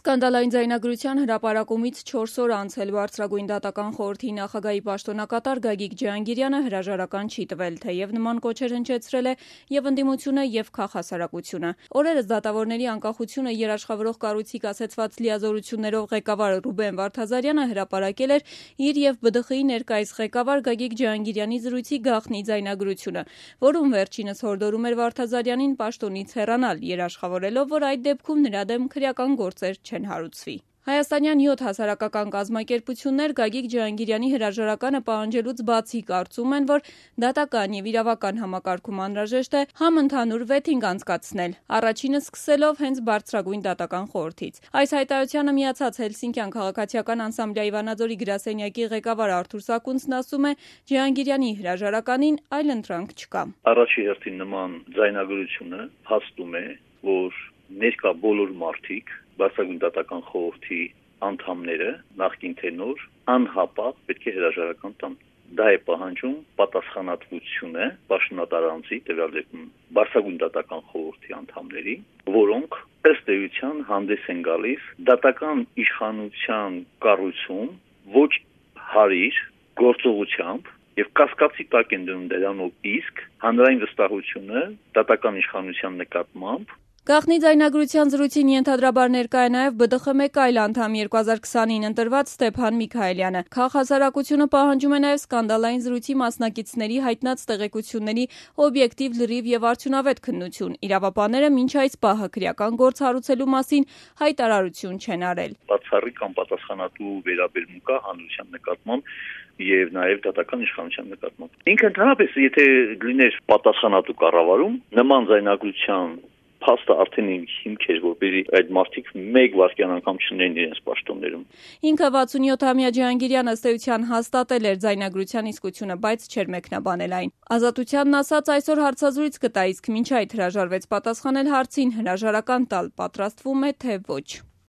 Սկանդալային ձայնագրության հրապարակումից 4 օր անցել բարձրագույն դատական խորհրդի նախագահի պաշտոնակատար Գագիկ Ջհանգիրյանը հրաժարական չի տվել, թեև նման կոչեր հնչեցրել է և ընդդիմությունը, և քաղհասարակությունը։ Օրերս դատավորների անկախությունը երաշխավորող կառույցի կասեցված լիազորություններով ղեկավար Ռուբեն Վարդազարյանը հրապարակել էր իր և ԲԴԽ-ի ներկայիս ղեկավար Գագիկ Ջհանգիրյանի զրույցի գաղտնի ձայնագրությունը, որում վերջինս հորդորում էր Վարդազարյանին պաշտոնից հեռանալ, երաշխավորելով, որ այդ դեպքում նրա դեմ քրեական գործեր չեն հարուցվի։ Հայաստանյան 7 հասարակական կազմակերպություններ Գագիկ Ջհանգիրյանի հրաժարականը պահանջելուց բացի կարծում են, որ դատական և իրավական համակարգում անհրաժեշտ է համընդհանուր վեթինգ անցկացնել, առաջինը սկսելով հենց բարձրագույն դատական խորհրդից։ Այս հայտարարությանը միացած Հելսինկյան քաղաքացիական անսամբլյայի Վանաձորի գրասենյակի ղեկավար Արթուր Սակունցն ասում է, Ջհանգիրյանի հրաժարականին այլընտրանք չկա։ Առաջի հերթին նման ձայնագրությունը հաստում է, որ ներկա բոլոր մարդիկ, բարձրագույն դատական խորհրդի անդամները, նախկին թե նոր, անհապաղ պետք է հրաժարական տան։ Դա է պահանջում պատասխանատվությունը պաշտոնատար անձի, տվյալ դեպքում բարձրագույն դատական խորհրդի անդամների, որոնք ըստ էության հանդես են գալիս դատական իշխանության կառույցում ոչ հարիր գործողությամբ և կասկածի տակ են դնում դրանով իսկ հանրային վստահությունը դատական իշխանության նկատմամբ։ Գաղտնի ձայնագրության զրույցին ենթադրաբար ներկա է նաև ԲԴԽ մեկ այլ անդամ 2020-ին ընտրված Ստեփան Միքայելյանը։ Քաղհասարակությունը պահանջում է նաև սկանդալային զրույցի մասնակիցների հայտնած տեղեկությունների օբյեկտիվ, լրիվ և արդյունավետ քննություն։ Իրավաբանները մինչ այս պահը քրեական գործ հարուցելու մասին հայտարարություն չեն արել։ Բացառիկ անպատասխանատու վերաբերմունք կա հանրության նկատմամբ և նաև դատական իշխանության նկատմամբ։ Ինքը ընդհանրապես, եթե լիներ պատասխանատու կառավարում, նման ձայնագրության փաստը արդեն հիմք էր, որպեսզի այդ մարդիկ մեկ վայրկյան անգամ չնեն իրենց պաշտոններում։ Ինքը 67-ամյա Ջհանգիրյանը ըստ էության հաստատել էր ձայնագրության իսկությունը, բայց չէր մեկնաբանել այն։ Ազատությանն ասած այսօր հարցազրույց կտա, իսկ մինչ այդ հրաժարվեց պատասխանել հարցին հրաժարական տալ պատրաստվում է, թե ոչ։